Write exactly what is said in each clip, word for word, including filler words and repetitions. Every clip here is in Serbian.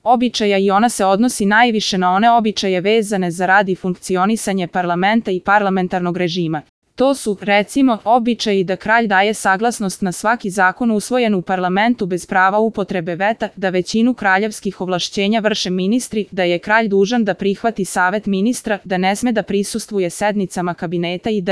običaja i ona se odnosi najviše na one običaje vezane za rad i funkcionisanje parlamenta i parlamentarnog režima. To su, recimo, običaji da kralj daje saglasnost na svaki zakon usvojen u parlamentu bez prava upotrebe veta, da većinu kraljevskih ovlašćenja vrše ministri, da je kralj dužan da prihvati savet ministra, da ne sme da prisustvuje sednicama kabineta itd.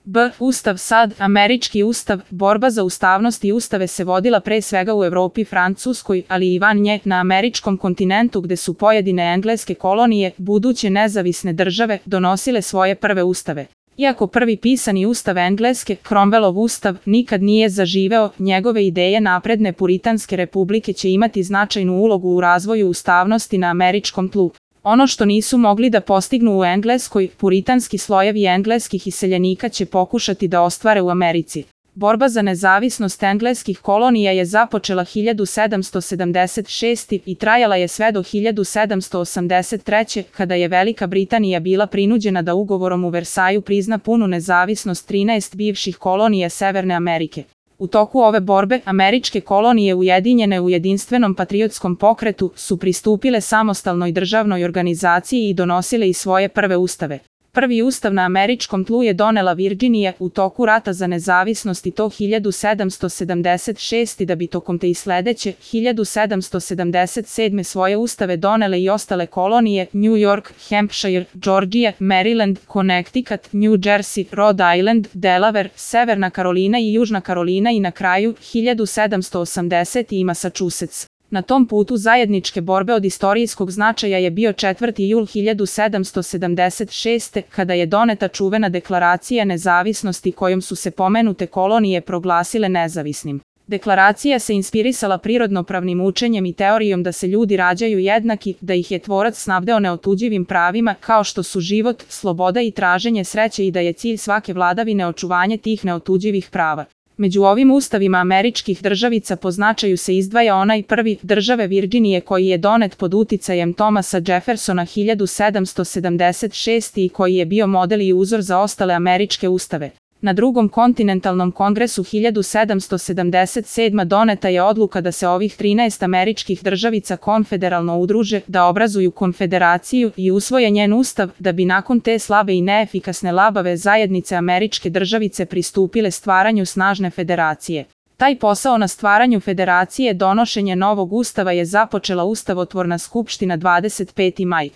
B. Ustav sad, američki ustav, borba za ustavnost i ustave se vodila pre svega u Evropi, Francuskoj, ali i van nje, na američkom kontinentu gde su pojedine engleske kolonije, buduće nezavisne države, donosile svoje prve ustave. Iako prvi pisani ustav Engleske, Cromwellov ustav, nikad nije zaživeo, njegove ideje napredne puritanske republike će imati značajnu ulogu u razvoju ustavnosti na američkom tlu. Ono što nisu mogli da postignu u Engleskoj, puritanski slojevi engleskih iseljenika će pokušati da ostvare u Americi. Borba za nezavisnost engleskih kolonija je započela hiljadu sedamsto sedamdeset šeste. i trajala je sve do hiljadu sedamsto osamdeset treće. kada je Velika Britanija bila prinuđena da ugovorom u Versaju prizna punu nezavisnost trinaest bivših kolonija Severne Amerike. U toku ove borbe, američke kolonije ujedinjene u jedinstvenom patriotskom pokretu su pristupile samostalnoj državnoj organizaciji i donosile i svoje prve ustave. Prvi ustav na američkom tlu je donela Virginija u toku rata za nezavisnost i to hiljadu sedamsto sedamdeset šeste. da bi tokom te i sledeće, hiljadu sedamsto sedamdeset sedme. svoje ustave donele i ostale kolonije, New York, Hampshire, Georgia, Maryland, Connecticut, New Jersey, Rhode Island, Delaware, Severna Karolina i Južna Karolina i na kraju, hiljadu sedamsto osamdesete. i Massachusetts. Na tom putu zajedničke borbe od istorijskog značaja je bio četvrti jul hiljadu sedamsto sedamdeset šeste. kada je doneta čuvena deklaracija nezavisnosti kojom su se pomenute kolonije proglasile nezavisnim. Deklaracija se inspirisala prirodnopravnim učenjem i teorijom da se ljudi rađaju jednaki, da ih je tvorac snabdeo neotuđivim pravima kao što su život, sloboda i traženje sreće i da je cilj svake vladavine očuvanje tih neotuđivih prava. Među ovim ustavima američkih državica po značaju se izdvaja onaj prvi, države Virginije, koji je donet pod uticajem Thomasa Jeffersona hiljadu sedamsto sedamdeset šeste. i koji je bio model i uzor za ostale američke ustave. Na drugom kontinentalnom kongresu hiljadu sedamsto sedamdeset sedme. doneta je odluka da se ovih trinaest američkih državica konfederalno udruže, da obrazuju konfederaciju i usvoje njen ustav, da bi nakon te slabe i neefikasne labave zajednice američke državice pristupile stvaranju snažne federacije. Taj posao na stvaranju federacije donošenje novog ustava je započela Ustavotvorna skupština dvadeset peti maj.